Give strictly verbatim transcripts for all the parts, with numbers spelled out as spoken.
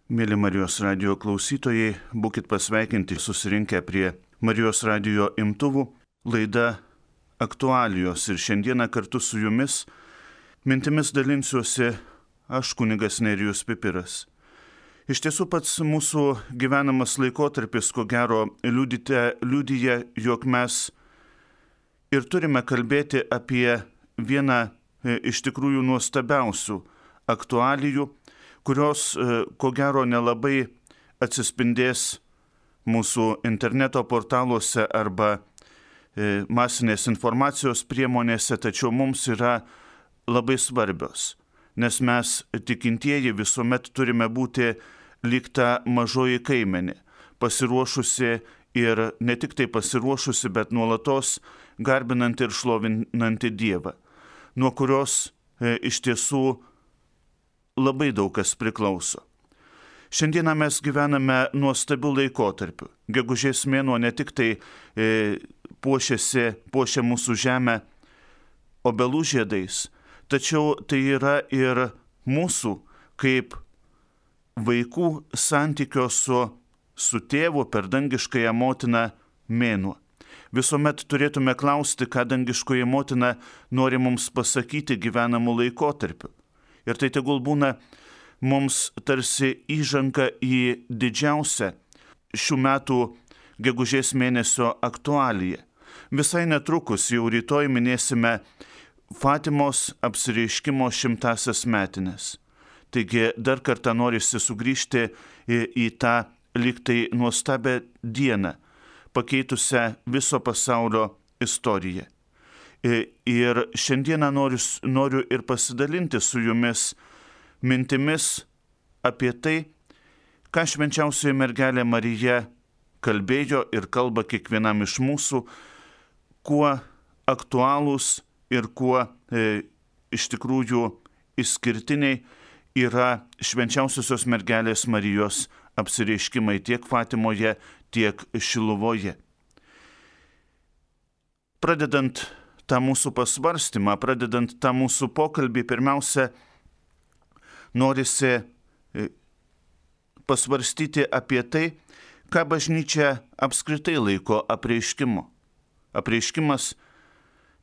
Mėly Marijos radijo klausytojai, būkit pasveikinti susirinkę prie Marijos radijo imtuvų, laida aktualijos ir šiandieną kartu su jumis mintimis dalinsiuosi aš, kunigas Nerijus Pipiras. Iš tiesų pats mūsų gyvenamas laikotarpis, ko gero, liudite, liudyja, jog mes ir turime kalbėti apie vieną iš tikrųjų nuostabiausių aktualijų, kurios, ko gero, nelabai atsispindės mūsų interneto portaluose arba masinės informacijos priemonėse, tačiau mums yra labai svarbios, nes mes tikintieji visuomet turime būti lyg ta mažoji kaimenė, pasiruošusi ir ne tik tai pasiruošusi, bet nuolatos garbinanti ir šlovinanti Dievą, nuo kurios e, iš tiesų labai daug kas priklauso. Šiandieną mes gyvename nuostabių laikotarpių. Gegužės mėnuo ne tik tai e, puošiasi, puošia mūsų žemę obelų žiedais, tačiau tai yra ir mūsų kaip vaikų santykio su, su tėvu per dangiškąją motiną mėnuo. Visuomet turėtume klausti, ką dangiškoji motina nori mums pasakyti gyvenamų laikotarpių. Ir tai tegul būna mums tarsi įžanga į didžiausią šių metų gegužės mėnesio aktualiją. Visai netrukus, jau rytoj minėsime Fatimos apsireiškimo šimtasias metines. Taigi dar kartą norisi sugrįžti į, į tą lyg tai nuostabią dieną, pakeitusią viso pasaulio istoriją. Ir šiandieną noriu, noriu ir pasidalinti su jumis mintimis apie tai, ką švenčiausioji mergelė Marija kalbėjo ir kalba kiekvienam iš mūsų, kuo aktualūs ir kuo e, iš tikrųjų išskirtiniai yra švenčiausiosios mergelės Marijos apsireiškimai tiek Fatimoje, tiek Šiluvoje. Pradedant tą mūsų pasvarstymą, pradedant tą mūsų pokalbį, pirmiausia, norisi pasvarstyti apie tai, ką bažnyčia apskritai laiko apreiškimu. Apreiškimas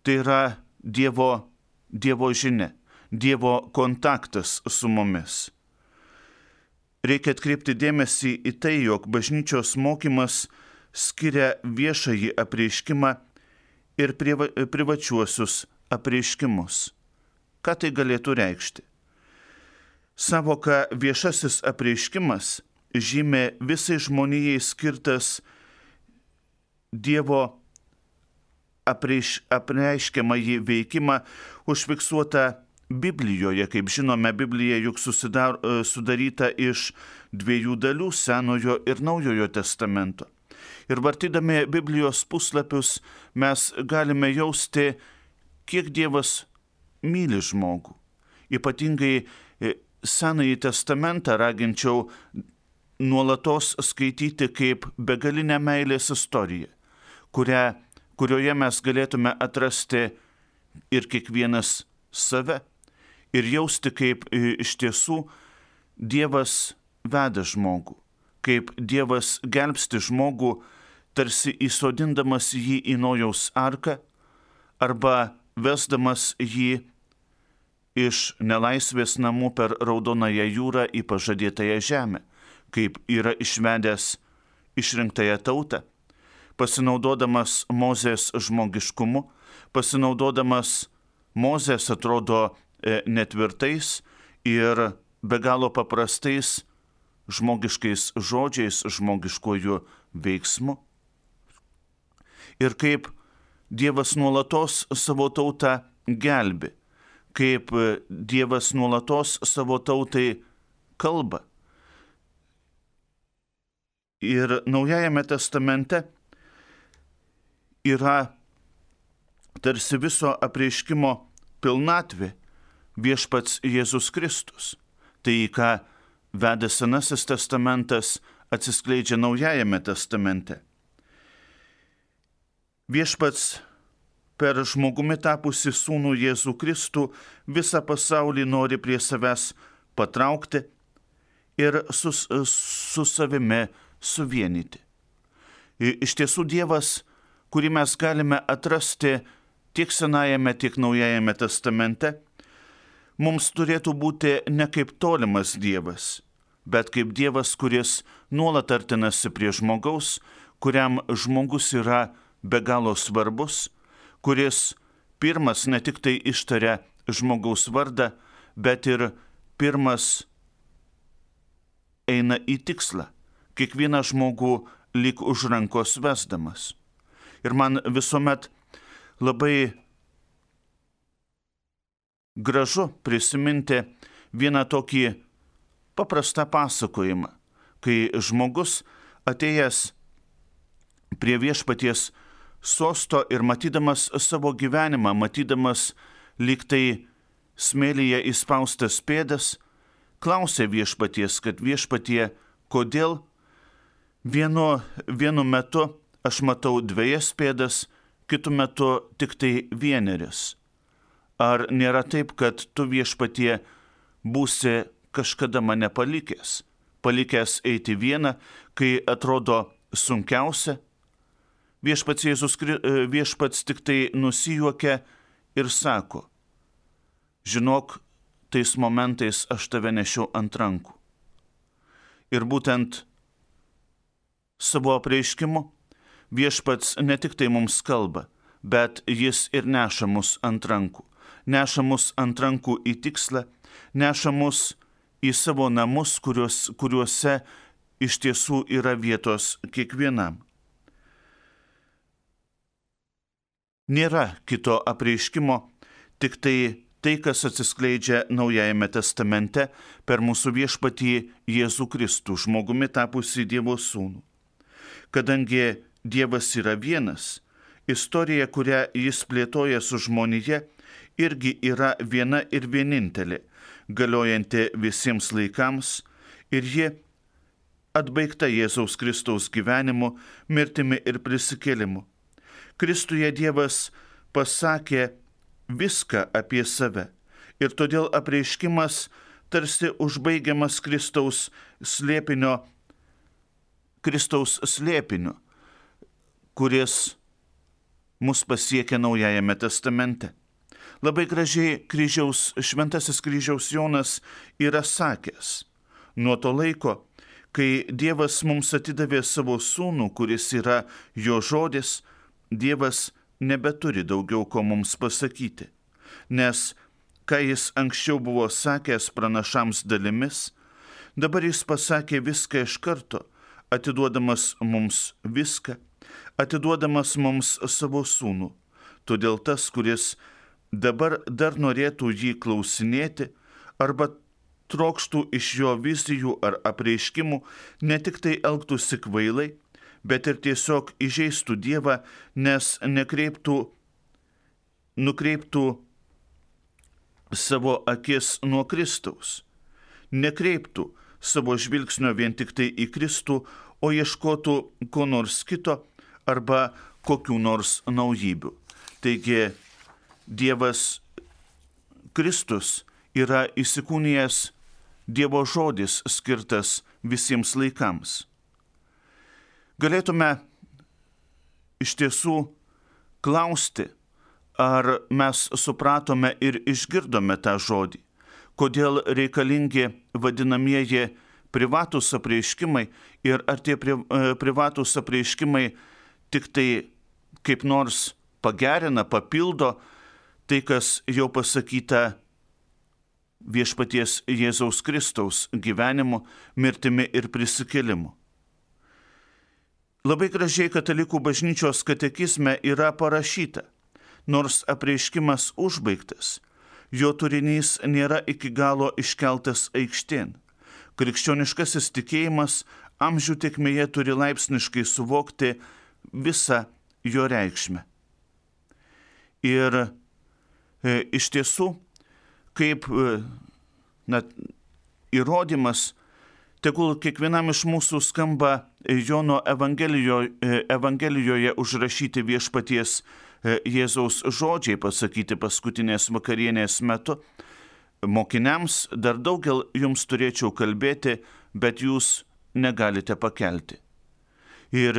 tai yra Dievo, Dievo žinia, Dievo kontaktas su mumis. Reikia atkreipti dėmesį į tai, jog bažnyčios mokymas skiria viešąjį apreiškimą ir priva, privačiuosius apreiškimus. Ką tai galėtų reikšti? Savoka viešasis apreiškimas žymė visai žmonijai skirtas Dievo apreiš, apreiškiamąjį veikimą užfiksuotą Biblijoje. Kaip žinome, Biblija juk susidar, sudaryta iš dviejų dalių, Senojo ir Naujojo testamento. Ir vartydami Biblijos puslapius mes galime jausti, kiek Dievas myli žmogų. Ypatingai Senąjį testamentą raginčiau nuolatos skaityti kaip begalinę meilės istoriją, kurią, kurioje mes galėtume atrasti ir kiekvienas save ir jausti, kaip iš tiesų Dievas veda žmogų, kaip Dievas gelbsti žmogų, tarsi įsodindamas jį į Nojaus arką arba vesdamas jį iš nelaisvės namų per Raudonąją jūrą į pažadėtąją žemę, kaip yra išvedęs išrinktąją tautą, pasinaudodamas Mozės žmogiškumu, pasinaudodamas Mozės atrodo netvirtais ir be galo paprastais žmogiškais žodžiais, žmogiškojų veiksmu. Ir kaip Dievas nuolatos savo tautą gelbi, kaip Dievas nuolatos savo tautai kalba. Ir Naujajame testamente yra tarsi viso apreiškimo pilnatvė viešpats Jėzus Kristus. Tai, ką veda Senasis testamentas, atsiskleidžia Naujajame testamente. Viešpats per žmogumi tapusi sūnų Jėzų Kristų visą pasaulį nori prie savęs patraukti ir su, su savimi suvienyti. Iš tiesų Dievas, kurį mes galime atrasti tiek Senajame, tiek Naujajame testamente, mums turėtų būti ne kaip tolimas Dievas, bet kaip Dievas, kuris nuolat artinasi prie žmogaus, kuriam žmogus yra be galo svarbus, kuris pirmas ne tik tai ištaria žmogaus vardą, bet ir pirmas eina į tikslą, kiekvieną žmogų lyg už rankos vesdamas. Ir man visuomet labai gražu prisiminti vieną tokį paprastą pasakojimą, kai žmogus atėjęs prie viešpaties sosto ir matydamas savo gyvenimą, matydamas lyg tai smėlyje įspaustas pėdas, klausė viešpaties, kad viešpatie, kodėl vienu, vienu metu aš matau dvejas pėdas, kitu metu tik tai vieneris. Ar nėra taip, kad tu viešpatie būsi kažkada mane palikęs, palikęs eiti vieną, kai atrodo sunkiausia? Viešpats Jėzus, viešpats tik tai nusijuokia ir sako, žinok, tais momentais aš tave nešiau ant rankų. Ir būtent savo apreiškimu viešpats ne tik tai mums kalba, bet jis ir neša mus ant rankų. Neša mus ant rankų į tikslą, neša mus į savo namus, kuriuos, kuriuose iš tiesų yra vietos kiekvienam. Nėra kito apreiškimo, tik tai tai, kas atsiskleidžia Naujajame testamente per mūsų viešpatį Jėzų Kristų, žmogumi tapusį Dievo sūnų. Kadangi Dievas yra vienas, istorija, kurią jis plėtoja su žmonija, irgi yra viena ir vienintelė, galiojanti visiems laikams, ir ji atbaigta Jėzaus Kristaus gyvenimu, mirtimi ir prisikėlimu. Kristuje Dievas pasakė viską apie save, ir todėl apreiškimas tarsi užbaigiamas Kristaus slėpinio, Kristaus slėpiniu, kuris mus pasiekia Naujajame testamente. Labai gražiai kryžiaus, šventasis kryžiaus Jonas yra sakęs, nuo to laiko, kai Dievas mums atidavė savo sūnų, kuris yra jo žodis, Dievas nebeturi daugiau ko mums pasakyti, nes ką jis anksčiau buvo sakęs pranašams dalimis, dabar jis pasakė viską iš karto, atiduodamas mums viską, atiduodamas mums savo sūnų. Todėl tas, kuris dabar dar norėtų jį klausinėti arba trokštų iš jo vizijų ar apreiškimų, ne tik tai elgtųsi kvailai, bet ir tiesiog įžeistų Dievą, nes nekreiptų, nukreiptų savo akis nuo Kristaus, nekreiptų savo žvilgsnio vien tik tai į Kristų, o ieškotų ko nors kito arba kokių nors naujibių. Taigi Dievas Kristus yra įsikūnijęs Dievo žodis skirtas visiems laikams. Galėtume iš tiesų klausti, ar mes supratome ir išgirdome tą žodį, kodėl reikalingi vadinamieji privatūs apreiškimai ir ar tie pri, privatūs apreiškimai tik tai kaip nors pagerina, papildo tai, kas jau pasakyta viešpaties Jėzaus Kristaus gyvenimu, mirtimi ir prisikėlimu. Labai gražiai Katalikų bažnyčios katekizme yra parašyta, nors apreiškimas užbaigtas, jo turinys nėra iki galo iškeltas aikštėn. Krikščioniškasis tikėjimas amžių tėkmėje turi laipsniškai suvokti visą jo reikšmę. Ir e, iš tiesų, kaip e, na, įrodymas, tegul kiekvienam iš mūsų skamba Jono Evangelijoje, Evangelijoje užrašyti viešpaties Jėzaus žodžiai pasakyti paskutinės vakarienės metu, mokiniams, dar daugel jums turėčiau kalbėti, bet jūs negalite pakelti. Ir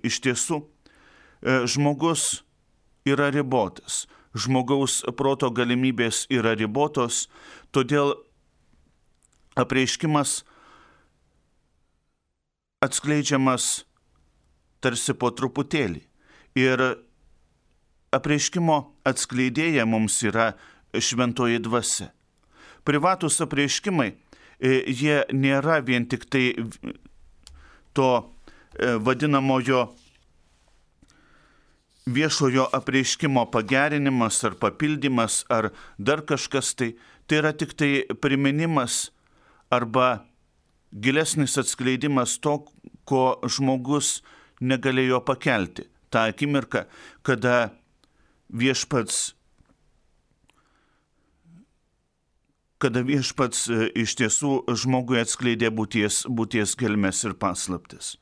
iš tiesų, žmogus yra ribotas, žmogaus proto galimybės yra ribotos, todėl apreiškimas atskleidžiamas tarsi po truputėlį. Ir apreiškimo atskleidėja mums yra šventoji dvasia. Privatus apreiškimai, jie nėra vien tik tai to vadinamojo viešojo apreiškimo pagerinimas ar papildymas ar dar kažkas tai. Tai yra tik tai priminimas arba gilesnis atskleidimas to, ko žmogus negalėjo pakelti. Ta akimirka, kada viešpats, kada viešpats iš tiesų žmogui atskleidė būties, būties gelmes ir paslaptis.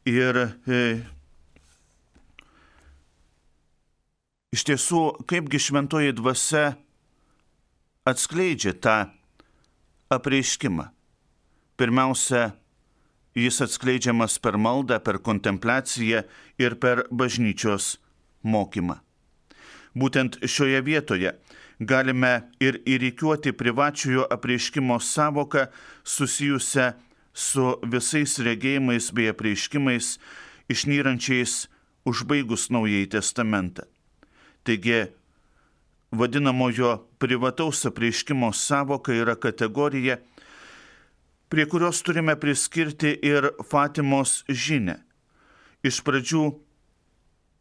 Ir e, iš tiesų, kaipgi šventoji dvasia atskleidžia tą apreiškimą. Pirmiausia, jis atskleidžiamas per maldą, per kontempliaciją ir per bažnyčios mokymą. Būtent šioje vietoje galime ir įrikiuoti privačiojo apreiškimo savoką susijusią su visais regėjimais bei apreiškimais išnyrančiais užbaigus Naująjį testamentą. Taigi, vadinamojo privataus apreiškimo savoka yra kategorija, prie kurios turime priskirti ir Fatimos žinią. Iš pradžių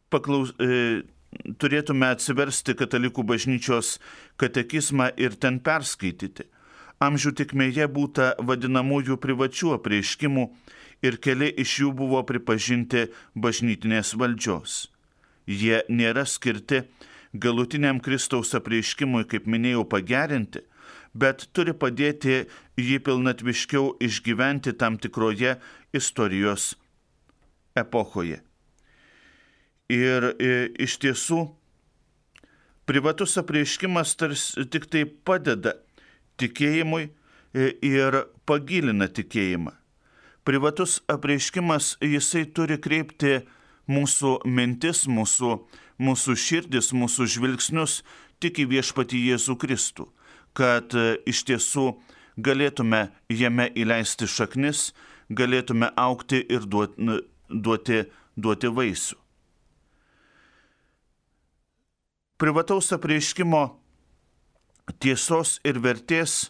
paklaus, e, turėtume atsiversti Katalikų bažnyčios katekizmą ir ten perskaityti. Amžių tikmėje būta vadinamųjų privačių apreiškimų ir keli iš jų buvo pripažinti bažnytinės valdžios. Jie nėra skirti galutiniam Kristaus apreiškimui, kaip minėjau, pagerinti, bet turi padėti jį pilnatviškiau išgyventi tam tikroje istorijos epochoje. Ir e, iš tiesų, privatus apreiškimas tarsi tik tai padeda tikėjimui e, ir pagilina tikėjimą. Privatus apreiškimas, jisai turi kreipti mūsų mintis, mūsų, mūsų širdis, mūsų žvilgsnius tik į viešpatį Jėzų Kristų, kad iš tiesų galėtume jame įleisti šaknis, galėtume augti ir duoti, duoti, duoti vaisių. Privataus apreiškimo tiesos ir vertės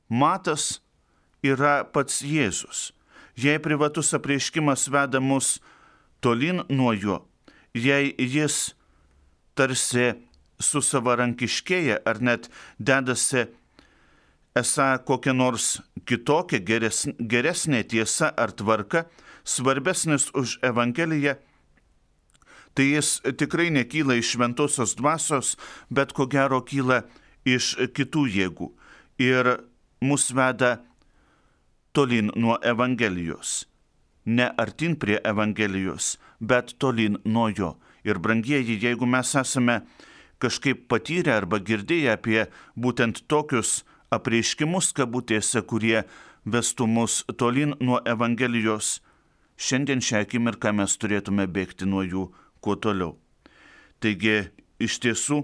matas yra pats Jėzus. Jei privatus apreiškimas veda mus tolyn nuo jo, jei jis tarsi susavarankiškėja ar net dedasi esą kokia nors kitokia geresnė, geresnė tiesa ar tvarka, svarbesnis už Evangeliją, tai jis tikrai nekyla iš šventosios dvasios, bet ko gero kyla iš kitų jėgų ir mus veda tolyn nuo Evangelijos. Ne artin prie Evangelijos, bet tolyn nuo jo. Ir brangieji, jeigu mes esame kažkaip patyrę arba girdėję apie būtent tokius apreiškimus kabutėse, kurie vestų mus tolyn nuo Evangelijos, šiandien šią akimirką mes turėtume bėgti nuo jų kuo toliau. Taigi, iš tiesų,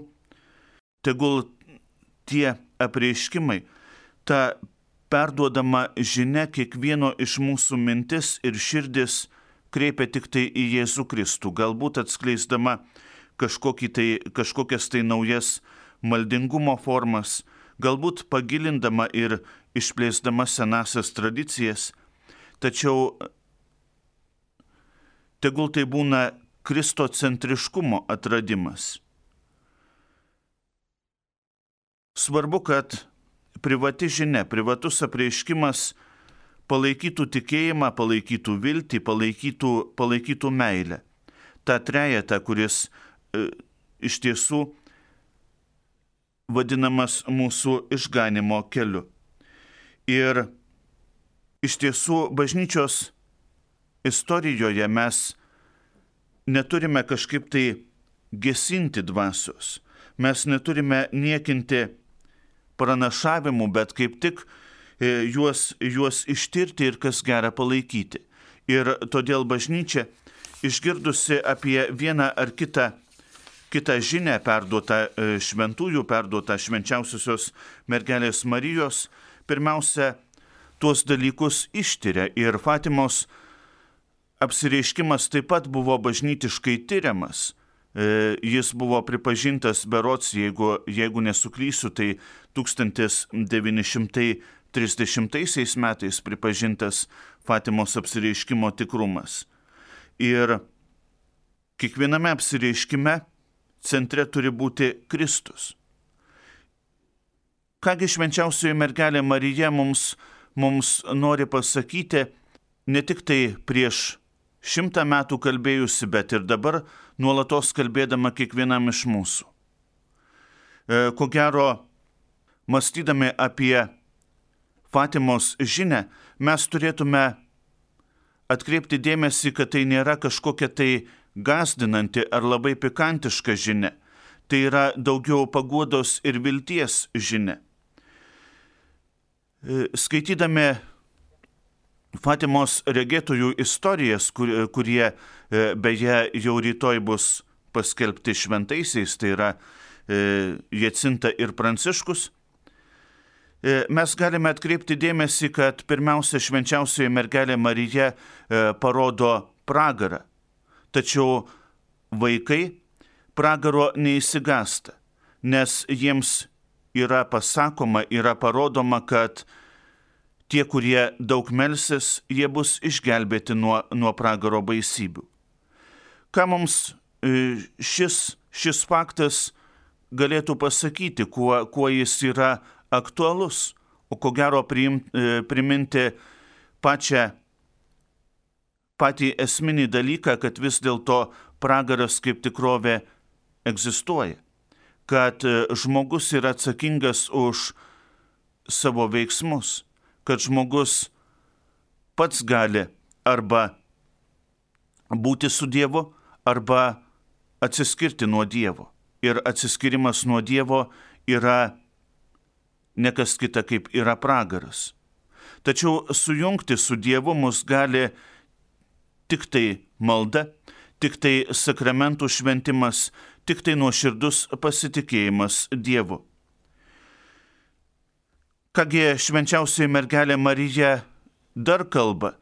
tegul tie apreiškimai, ta perduodama žinia kiekvieno iš mūsų mintis ir širdis kreipia tik tai į Jėzų Kristų, galbūt atskleisdama tai, kažkokias tai naujas maldingumo formas, galbūt pagilindama ir išplėsdama senasias tradicijas, tačiau tegul tai būna kristocentriškumo atradimas. Svarbu, kad privati žinia, privatus apreiškimas palaikytų tikėjimą, palaikytų viltį, palaikytų, palaikytų meilę. Ta trejetą, kuris e, iš tiesų vadinamas mūsų išganimo keliu. Ir iš tiesų bažnyčios istorijoje mes neturime kažkaip tai gesinti dvasios. Mes neturime niekinti pranašavimų, bet kaip tik juos, juos ištirti ir kas gera palaikyti. Ir todėl bažnyčia, išgirdusi apie vieną ar kitą, kitą žinią perduotą šventųjų, perduotą švenčiausiosios mergelės Marijos, pirmiausia, tuos dalykus ištiria. Ir Fatimos apsireiškimas taip pat buvo bažnytiškai tyriamas. Jis buvo pripažintas berods, jeigu, jeigu nesuklysiu, tai tūkstantis devyni šimtai trisdešimtaisiais metais pripažintas Fatimos apsireiškimo tikrumas. Ir kiekviename apsireiškime centre turi būti Kristus. Kągi švenčiausioji mergelė Marija mums, mums nori pasakyti, ne tik tai prieš šimtą metų kalbėjusi, bet ir dabar nuolatos kalbėdama kiekvienam iš mūsų. Ko gero, mąstydami apie Fatimos žinią, mes turėtume atkreipti dėmesį, kad tai nėra kažkokia tai gąsdinanti ar labai pikantiška žinia. Tai yra daugiau paguodos ir vilties žinia. Skaitydami Fatimos regėtojų istorijas, kur, kurie beje jau rytoj bus paskelbti šventaisiais, tai yra Jacinta ir Pranciškus, mes galime atkreipti dėmesį, kad pirmiausia švenčiausioji mergelė Marija parodo pragarą. Tačiau vaikai pragaro neįsigąsta, nes jiems yra pasakoma, yra parodoma, kad tie, kurie daug melsis, jie bus išgelbėti nuo, nuo pragaro baisybių. Ką mums šis, šis faktas galėtų pasakyti, kuo, kuo jis yra aktualus, o ko gero priim, priminti pačią, patį esminį dalyką, kad vis dėlto pragaras kaip tikrovė egzistuoja, kad žmogus yra atsakingas už savo veiksmus, kad žmogus pats gali arba būti su Dievu, arba atsiskirti nuo Dievo. Ir atsiskirimas nuo Dievo yra ne kas kita kaip yra pragaras. Tačiau sujungti su Dievu mus gali tik tai malda, tik tai sakramentų šventimas, tik tai nuoširdus pasitikėjimas Dievu. Kągi švenčiausioji mergelė Marija dar kalba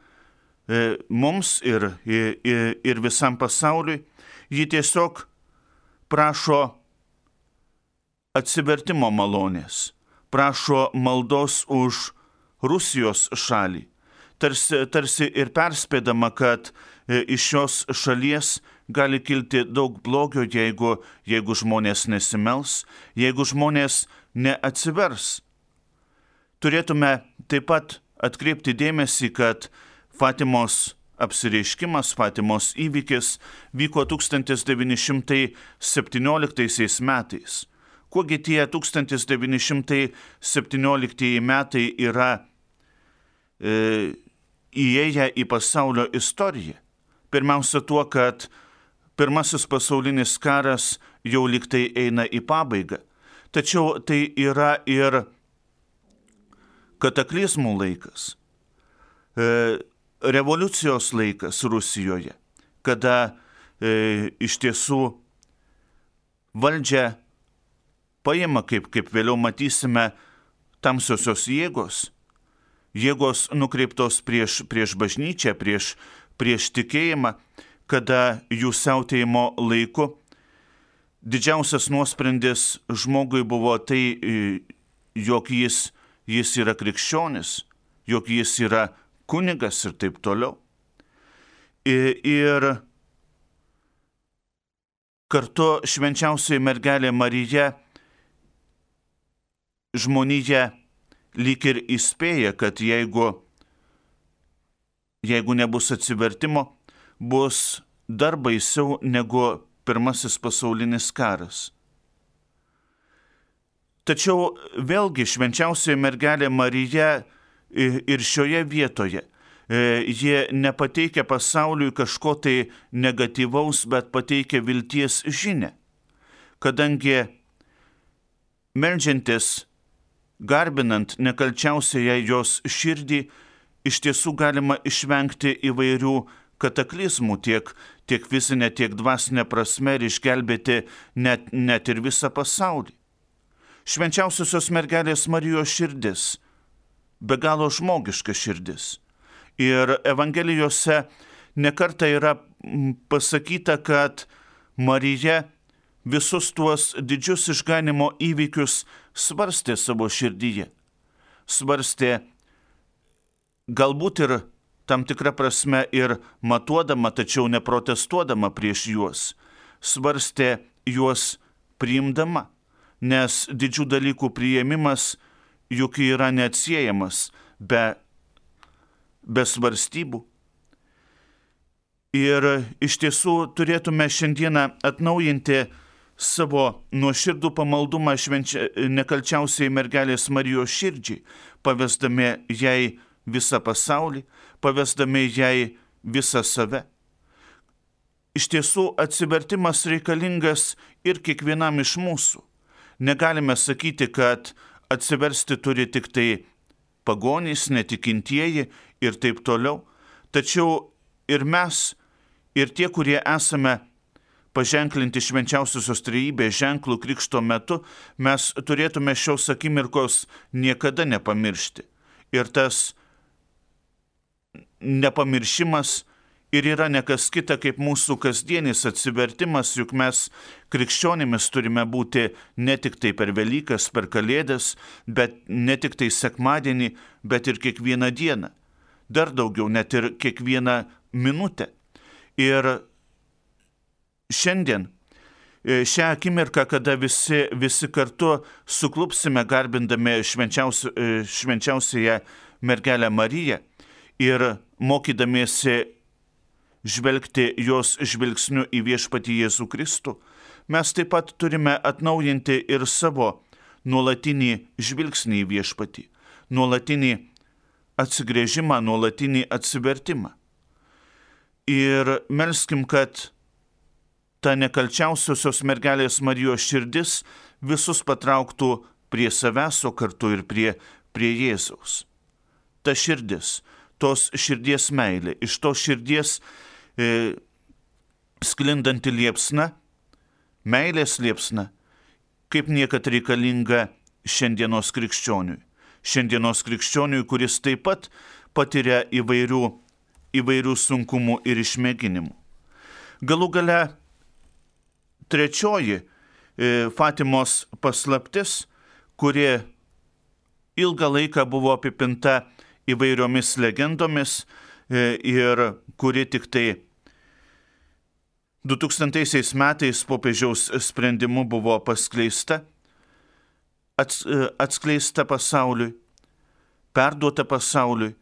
e, mums ir, ir, ir visam pasauliui, ji tiesiog prašo atsivertimo malonės, prašo maldos už Rusijos šalį, tarsi, tarsi ir perspėdama, kad e, iš šios šalies gali kilti daug blogio, jeigu, jeigu žmonės nesimels, jeigu žmonės neatsivers. Turėtume taip pat atkreipti dėmesį, kad Fatimos apsireiškimas, Fatimos įvykis vyko tūkstantis devyni šimtai septynioliktaisiais metais. Kuogi tie tūkstantis devyni šimtai septynioliktieji metai yra e, įėję į pasaulio istoriją? Pirmiausia tuo, kad pirmasis pasaulinis karas jau liktai eina į pabaigą. Tačiau tai yra ir kataklizmų laikas, revoliucijos laikas Rusijoje, kada e, iš tiesų valdžią paima, kaip, kaip vėliau matysime, tamsiosios jėgos, jėgos nukreiptos prieš, prieš bažnyčią, prieš, prieš tikėjimą, kada jų siautėjimo laiku didžiausias nuosprendis žmogui buvo tai, jog jis Jis yra krikščionis, jog jis yra kunigas ir taip toliau. Ir, ir kartu švenčiausioji mergelė Marija žmoniją lyg ir įspėja, kad jeigu, jeigu nebus atsivertimo, bus dar baisiau negu pirmasis pasaulinis karas. Tačiau vėlgi švenčiausioji mergelė Marija ir šioje vietoje, jie nepateikia pasauliui kažko tai negatyvaus, bet pateikia vilties žinią. Kadangi meldžiantis garbinant nekalčiausiąją jos širdį, iš tiesų galima išvengti įvairių kataklizmų tiek, tiek fizinė, tiek dvasinė prasme ir išgelbėti net, net ir visą pasaulį. Švenčiausiosios mergelės Marijos širdis, be galo žmogiška širdis. Ir Evangelijose nekartą yra pasakyta, kad Marija visus tuos didžius išganimo įvykius svarstė savo širdyje. Svarstė galbūt ir tam tikrą prasme ir matuodama, tačiau neprotestuodama prieš juos. Svarstė juos priimdama, nes didžių dalykų priėmimas juk yra neatsiejamas be, be svarstybų. Ir iš tiesų turėtume šiandieną atnaujinti savo nuoširdų pamaldumą švenčia, nekalčiausiai mergelės Marijos širdžiai, pavesdami jai visą pasaulį, pavesdami jai visą save. Iš tiesų atsivertimas reikalingas ir kiekvienam iš mūsų. Negalime sakyti, kad atsiversti turi tik tai pagonys, netikintieji ir taip toliau. Tačiau ir mes, ir tie, kurie esame paženklinti švenčiausiosios trejybės ženklų krikšto metu, mes turėtume šios akimirkos niekada nepamiršti. Ir tas nepamiršimas ir yra nekas kita kaip mūsų kasdienis atsivertimas, juk mes krikščionimis turime būti ne tik tai per Velykas, per Kalėdas, bet ne tik tai sekmadienį, bet ir kiekvieną dieną. Dar daugiau, net ir kiekvieną minutę. Ir šiandien, šią akimirką, kada visi, visi kartu suklupsime garbindami švenčiausi, švenčiausiąją mergelę Mariją ir mokydamiesi žvelgti jos žvilgsniu į viešpatį Jėzų Kristų, mes taip pat turime atnaujinti ir savo nuolatinį žvilgsnį į viešpatį, nuolatinį atsigręžimą, nuolatinį atsivertimą. Ir melskim, kad ta nekalčiausiosios mergelės Marijos širdis visus patrauktų prie savęs, o kartu ir prie, prie Jėzaus. Ta širdis, tos širdies meilė, iš tos širdies e, sklindanti liepsna, meilės liepsna, kaip niekad reikalinga šiandienos krikščioniui. Šiandienos krikščioniui, kuris taip pat patiria įvairių, įvairių sunkumų ir išmėginimų. Galų gale trečioji e, Fatimos paslaptis, kuri ilgą laiką buvo apipinta įvairiomis legendomis e, ir kuri tik tai du tūkstantaisiais metais popiežiaus sprendimu buvo paskleista, ats, e, atskleista pasauliui, perduota pasauliui.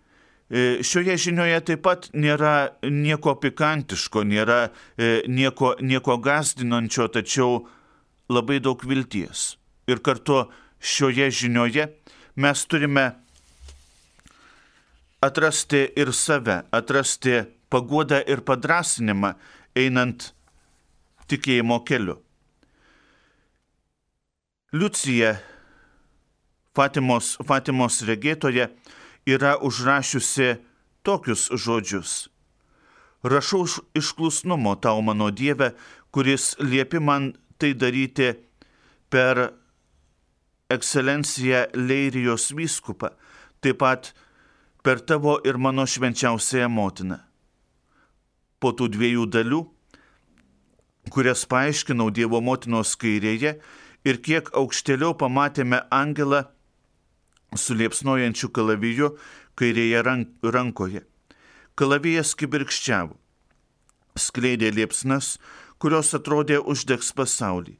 E, šioje žinioje taip pat nėra nieko pikantiško, nėra e, nieko, nieko gąsdinančio, tačiau labai daug vilties. Ir kartu šioje žinioje mes turime atrasti ir save, atrasti paguodą ir padrąsinimą, einant tikėjimo keliu. Liucija, Fatimos, Fatimos regėtoje, yra užrašiusi tokius žodžius. Rašau iš klusnumo tau, mano Dieve, kuris liepi man tai daryti per ekscelenciją Leirijos vyskupą, taip pat per tavo ir mano švenčiausiąją motiną. Po tų dviejų dalių, kurias paaiškinau Dievo motinos kairėje ir kiek aukštėliau pamatėme angelą su liepsnojančiu kalaviju kairėje rankoje. Kalavijas kibirkščiavo, skleidė liepsnas, kurios atrodė uždegs pasaulį,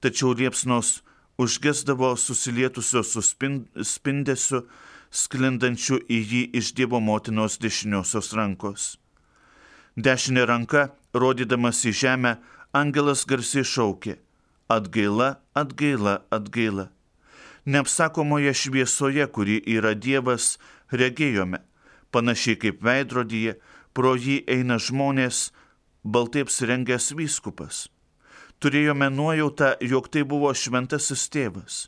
tačiau liepsnos užgesdavo susilietusios su spindesiu, sklindančiu į jį iš Dievo motinos dešiniosios rankos. Dešinė ranka, rodydamas į žemę, angelas garsiai šaukė: atgaila, atgaila, atgaila. Neapsakomoje šviesoje, kuri yra Dievas, regėjome, panašiai kaip veidrodyje, pro jį eina žmonės, baltai apsirengęs vyskupas. Turėjome nuojautą, jog tai buvo šventasis tėvas.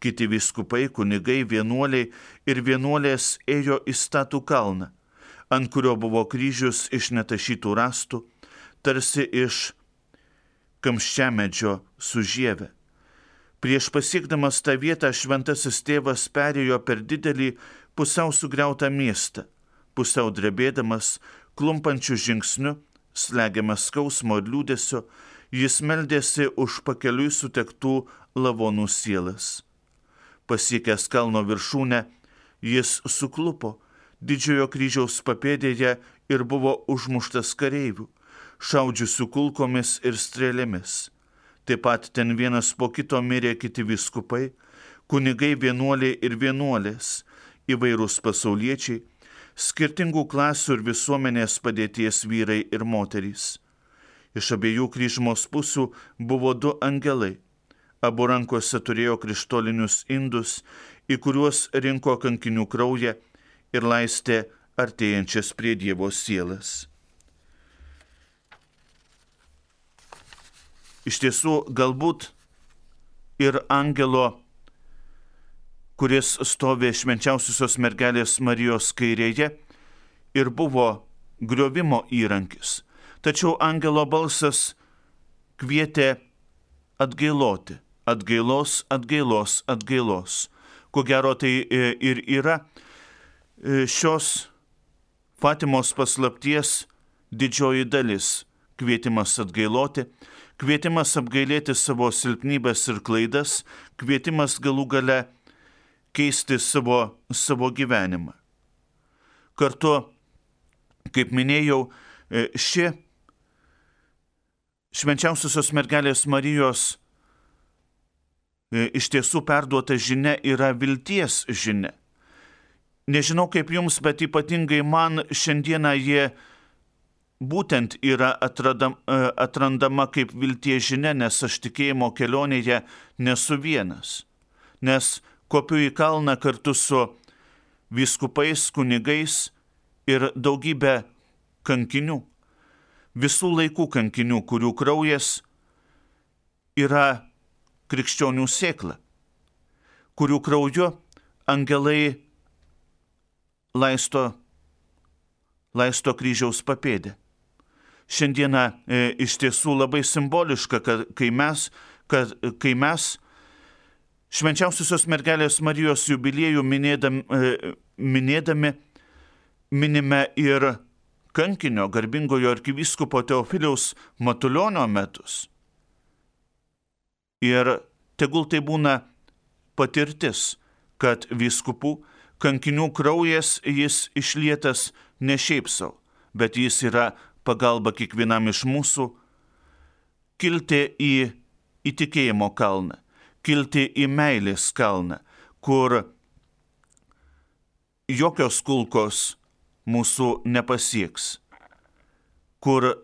Kiti vyskupai, kunigai, vienuoliai ir vienuolės ėjo į statų kalną, ant kurio buvo kryžius iš netašytų rąstų, tarsi iš kamščiamedžio su žieve. Prieš pasiekdamas tą vietą šventasis tėvas perėjo per didelį pusiau sugriautą miestą, pusiau drebėdamas, klumpančių žingsnių, slegiamas skausmo ir liūdesio, jis meldėsi už pakeliui sutektų lavonų sielas. Pasiekęs kalno viršūnę, jis suklupo didžiojo kryžiaus papėdėje ir buvo užmuštas kareivių, šaudžiusių kulkomis ir strėlėmis. Taip pat ten vienas po kito mirė kiti vyskupai, kunigai, vienuoliai ir vienuolės, įvairūs pasauliečiai, skirtingų klasių ir visuomenės padėties vyrai ir moterys. Iš abiejų kryžmos pusių buvo du angelai. Abu rankose turėjo krištolinius indus, į kuriuos rinko kankinių kraują ir laistė artėjančias prie Dievo sielas. Iš tiesų, galbūt ir angelo, kuris stovi švenčiausiosios mergelės Marijos kairėje, ir buvo griovimo įrankis. Tačiau angelo balsas kvietė atgailoti, atgailos, atgailos, atgailos. Ko gero tai ir yra šios Fatimos paslapties didžioji dalis – kvietimas atgailoti, kvietimas apgailėti savo silpnybės ir klaidas, kvietimas galų gale keisti savo, savo gyvenimą. Kartu, kaip minėjau, ši švenčiausiosios mergelės Marijos iš tiesų perduota žinia yra vilties žinia. Nežinau kaip jums, bet ypatingai man šiandieną jie būtent yra atradam, atrandama kaip vilties žinia, nes aš tikėjimo kelionėje nesu vienas. Nes kopiu į kalną kartu su vyskupais, kunigais ir daugybė kankinių. Visų laikų kankinių, kurių kraujas yra krikščionių sėkla, kurių krauju angelai laisto, laisto kryžiaus papėdę. Šiandieną e, iš tiesų labai simboliška, kad kai mes, kad, kai mes švenčiausiosios mergelės Marijos jubiliejų minėdami, e, minėdami minime ir kankinio garbingojo arkivyskupo Teofiliaus Matulionio metus. Ir tegul tai būna patirtis, kad vyskupų kankinių kraujas jis išlietas ne šiaip sau, bet jis yra pagalba kiekvienam iš mūsų kilti į įtikėjimo kalną, kilti į meilės kalną, kur jokios kulkos mūsų nepasieks, kur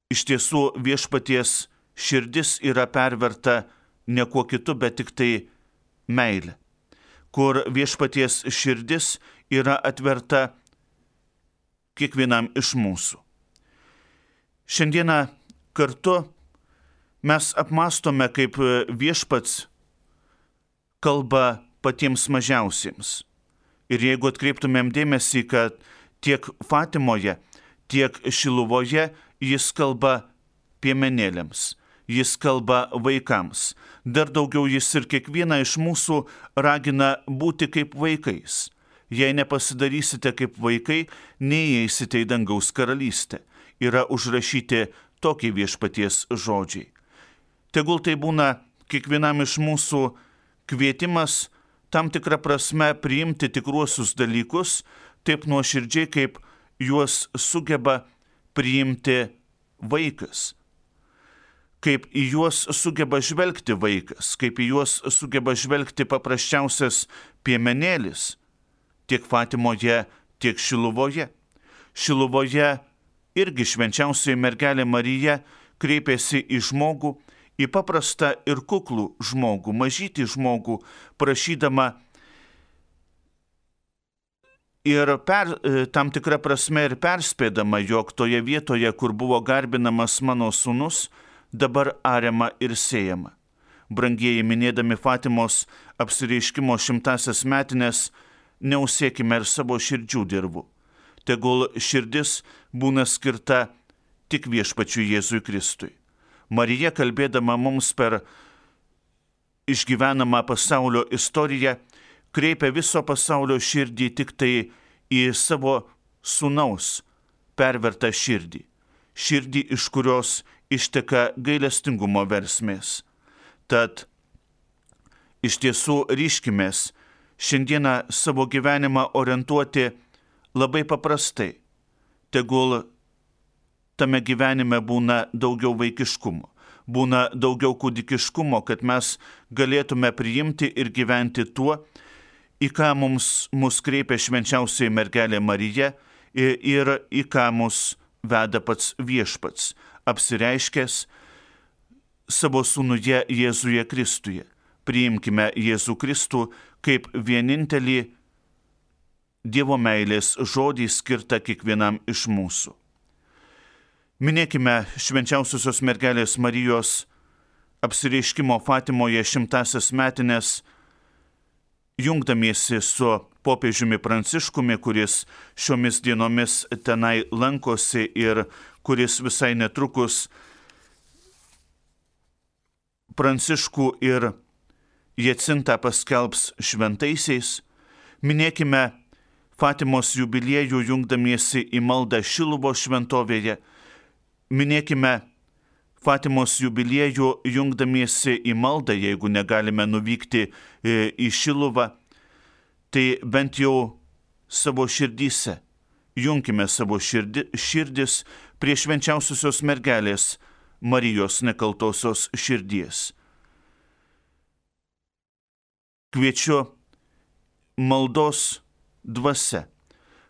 iš tiesų viešpaties širdis yra perverta ne kuo kitu, bet tik tai meilė, kur viešpaties širdis yra atverta kiekvienam iš mūsų. Šiandieną kartu mes apmastome, kaip viešpats kalba patiems mažiausiems. Ir jeigu atkreiptumėm dėmesį, kad tiek Fatimoje, tiek Šiluvoje jis kalba piemenėliams, jis kalba vaikams. Dar daugiau jis ir kiekvieną iš mūsų ragina būti kaip vaikais. Jei nepasidarysite kaip vaikai, neįeisite į dangaus karalystę. Yra užrašyti tokie viešpaties žodžiai. Tegul tai būna kiekvienam iš mūsų kvietimas tam tikrą prasme priimti tikruosius dalykus, taip nuoširdžiai, kaip juos sugeba priimti vaikas. Kaip į juos sugeba žvelgti vaikas, kaip į juos sugeba žvelgti paprasčiausias piemenėlis, tiek Fatimoje, tiek Šiluvoje. Šiluvoje irgi švenčiausioji mergelė Marija kreipėsi į žmogų, į paprastą ir kuklų žmogų, mažytį žmogų, prašydama ir per, tam tikrą prasme ir perspėdama, jog toje vietoje, kur buvo garbinamas mano sūnus, dabar ariama ir sėjama. brangieji, minėdami Fatimos apsireiškimo šimtasias metines, neusiekime ir savo širdžių dirvų. Tegul širdis būna skirta tik viešpačiui Jėzui Kristui. Marija, kalbėdama mums per išgyvenamą pasaulio istoriją, kreipia viso pasaulio širdį tik tai į savo sūnaus pervertą širdį. Širdį, iš kurios išteka gailestingumo versmės. Tad iš tiesų ryškimės šiandieną savo gyvenimą orientuoti labai paprastai. Tegul tame gyvenime būna daugiau vaikiškumo, būna daugiau kūdikiškumo, kad mes galėtume priimti ir gyventi tuo, į ką mums mus kreipia švenčiausioji mergelė Marija ir į ką mus veda pats viešpats, apsireiškęs savo sūnuje Jėzuje Kristuje. Priimkime Jėzų Kristų kaip vienintelį Dievo meilės žodį skirtą kiekvienam iš mūsų. Minėkime švenčiausiosios mergelės Marijos apsireiškimo Fatimoje šimtasias metines, jungdamiesi su popiežiumi Pranciškumi, kuris šiomis dienomis tenai lankosi ir kuris visai netrukus Pranciškų ir Jacintą paskelbs šventaisiais. Minėkime Fatimos jubiliejų jungdamiesi į maldą Šiluvos šventovėje. Minėkime Fatimos jubiliejų jungdamiesi į maldą, jeigu negalime nuvykti į Šiluvą, tai bent jau savo širdyse. Junkime savo širdi, širdis prie švenčiausiosios mergelės Marijos nekaltosios širdies. Kviečiu maldos dvasia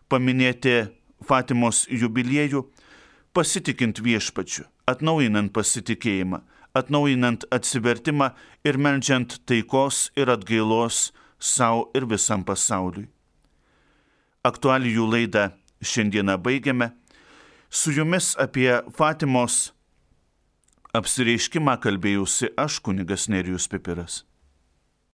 paminėti Fatimos jubiliejų, pasitikint viešpačiu, atnaujinant pasitikėjimą, atnaujinant atsivertimą ir meldžiant taikos ir atgailos sau ir visam pasauliui. Aktualijų laidą šiandieną baigiame. Su jumis apie Fatimos apsireiškimą kalbėjausi aš, kunigas Nerijus Pipiras.